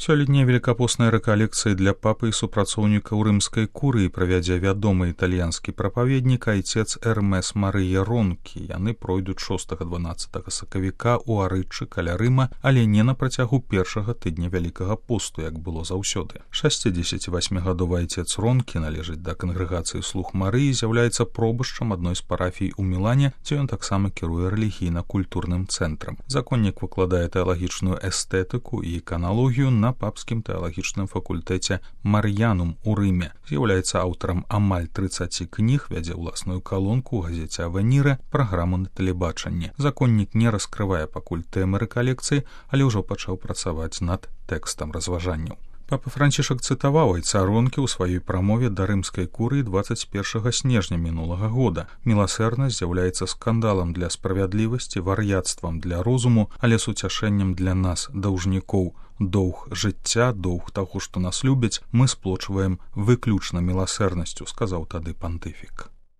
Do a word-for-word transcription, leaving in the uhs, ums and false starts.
Сёлетняя великапостная рэкалекцыя для папы і супрацоўнікаў рымскай курыі правядзе вядомы італьянскі прапаведнік айцец Эрмес Марыя Ронкі. Яны пройдуць шостага-дванаццатага сакавіка ў Арычы каля Рыма, але не на працягу першага тыдня вялікага посту, як было заўсёды. шасцідзесяцівасьмігадовы айцец Ронкі належыць да кангрэгацыі слуг Марыі, з'яўляецца пробышчам адной з парафій у Мілане, дзе ён таксама кіруе рэлігійна-культурным цэнтрам. Законнік выкладае тэалагічную эстэтыку і іканалогію на папскім тэалагічным факультэце Мар'янум у Рыме. З'яўляецца аўтарам амаль трыццаці кніг, вядзе ўласную калонку ў газеце «Авеніра», праграму на тэлебачанні. Законнік не раскрывае пакуль тэмы рэкалекцыі, але ўжо пачаў працаваць над тэкстам разважанняў. Папа Францішак цытаваў айца Ронкі ў сваёй прамове да рымскай курыі дваццаць першага снежня мінулага года. Міласэрнасць з'яўляецца скандалам для справядлівасці, вар'яцтвам для розуму, але суцяшэннем для нас, даўжнікоў. Доўг жыцця, доўг таго, што нас любяць, мы сплочваем выключна міласэрнасцю, сказаў тады пантыфік.